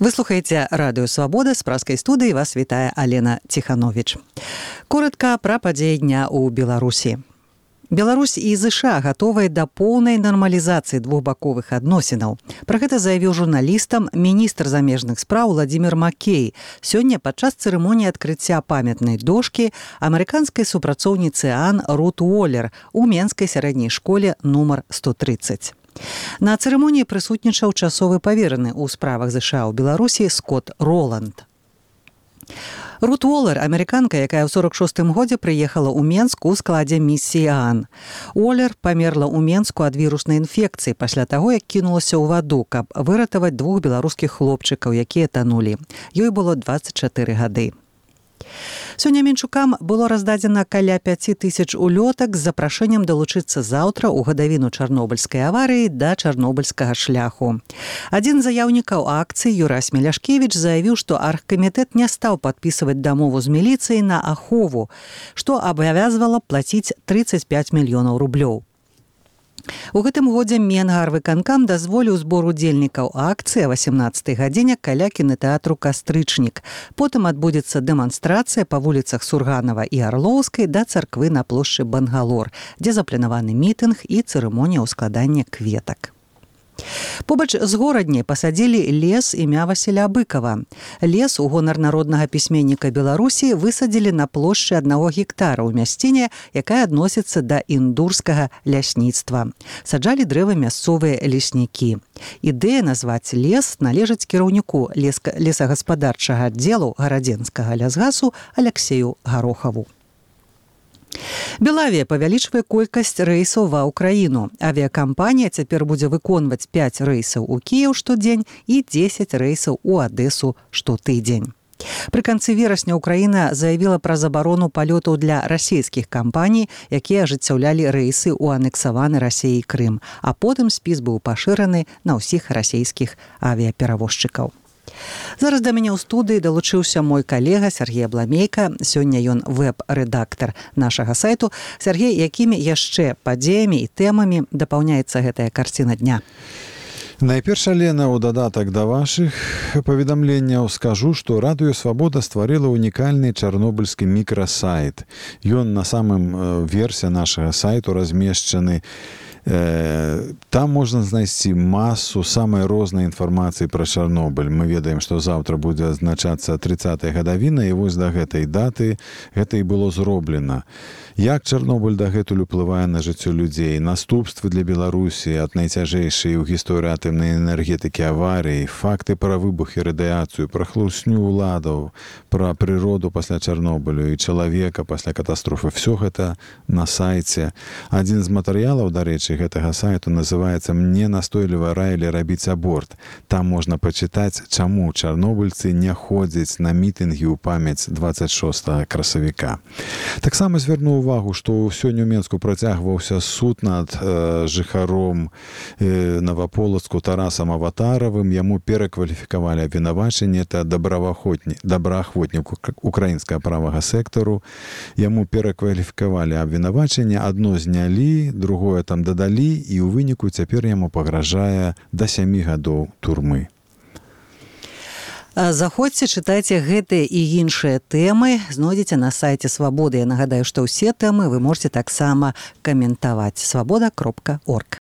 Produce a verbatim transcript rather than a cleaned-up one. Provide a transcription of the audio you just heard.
Вы слухаеце радыё Свабода, з праскай студыі вас вітае Алена Ціхановіч. Коротка пра падзеі дня ў Беларусі. Беларусь і ЗША гатовыя да поўнай нармалізацыі двухбаковых адносінаў. Пра гэта заявіў журналістам міністр замежных спраў Владзімір Макей сёння падчас цырымоніі адкрыцця памятнай дошкі амерыканскай супрацоўніцы ААН Рут Уоллер у Менскай сярэдняй школе нумар сто трыццаць. На цырымоніі прысутнічаў часовы павераны ў справах ЗША ў Беларусі Скотт Роланд. Рут Уоллер, амерыканка, якая ў сорок шостым годзе прыехала ў Менск у складзе місіі ААН. Уоллер памерла ў Менску ад віруснай інфекцыі пасля таго, як кінулася ў ваду, каб выратаваць двух беларускіх хлопчыкаў, якія танулі. Ёй было дваццаць чатыры гады. Сёння менчукам было раздадзена каля пяць тысяч улётак з запрашэннем далучыцца заўтра ў гадавіну чарнобыльскай аварыі да чарнобыльскага шляху. Адзін з заяўнікаў акцыі Юрась Меляшкевіч заявіў, што аргкамітэт не стаў падпісваць дамову з міліцыяй на ахову, што абавязвала плаціць трыццаць пяць мільёнаў рублёў. У гэтым годзе Менгарвыканкам дазволіў збор удзельнікаў акцыі о васемнаццатай гадзіне каля кінатэатру «Кастрычнік». Потым адбудзецца дэманстрацыя па вуліцах Сурганава і Арлоўскай да царквы на плошчы Бангалор, дзе запланаваны мітынг і цырымонія ўскладання кветак. Побач з горадняй пасадзілі лес імя Васіля Быкава. Лес у гонар народнага пісьменніка Беларусі высадзілі на плошчы аднаго гектара ў мясціне, якая адносіцца да індурскага лясніцтва. Саджалі дрэвы мясцовыя леснікі. Ідэя назваць лес належыць кіраўніку лесагаспадарчага аддзелу гарадзенскага лясгасу Аляксею Гарохаву. Белавія павялічвае колькасць рэйсаў ва ўкраіну. Авіякампанія цяпер будзе выконваць пяць рэйсаў у Кіеў штодзень і дзесяць рэйсаў у Адэсу штотыдзень. Пры канцы верасня Украіна заявіла пра забарону палётаў для расійскіх кампаній, якія ажыццяўлялі рэйсы ў анексаваны Расіяй Крым, а потым спіс быў пашыраны на ўсіх расійскіх авіяперавозчыкаў. Зараз да мяне ў студыі далучыўся мой калега Сергей Абламейка. Сёння ён вэб-рэдактар нашага сайту. Сергей, якімі яшчэ падзеямі і тэмамі дапаўняецца гэтая карціна дня? Найперш, Алена, у дадатак да вашых паведамленняў скажу, што Радыё Свабода стварыла унікальны чарнобыльскі мікрасайт. Ён на самым версе нашага сайту размешчаны. Там можна знайсці масу самай рознай інфармацыі пра Чарнобыль. Мы ведаем, што заўтра будзе адзначацца трыццатая гадавіна, і вось да гэтай даты гэта і было зроблена. Як Чарнобыль дагэтуль уплывае на жыццё людзей, наступствы для Беларусі ад найцяжэйшай у гісторыі атамнай энергетыкі аварыі, факты пра выбух і радыяцыю, пра хлусню ўладаў, пра прыроду пасля Чарнобылю і чалавека пасля катастрофы. Всё гэта на сайце. Адзін з матэрыялаў, дарэчы, гэтага сайту называецца «Мне настойліва раілі рабіць аборт». Там можна пачытаць, чаму чарнобыльцы не ходзяць на мітынгі ў памяць дваццаць шостага красавіка. Таксама звярну увагу, што сёння ў Менску працягваўся суд над э, жыхаром э, Наваполацку Тарасам Аватаравым. Яму перакваліфікавалі абвінавачанне, это добраахвотнік украінскага правага сектару. Яму перакваліфікавалі абвінавачанне, адно знялі, другое там дадалі, і ў выніку цяпер яму пагражае да сямі гадоў турмы. Заходзьце, чытайце гэтыя і іншыя тэмы, знойдзеце на сайце Свабоды. Я нагадаю, што ўсе тэмы вы можете таксама каментаваць. свабода кропка орг.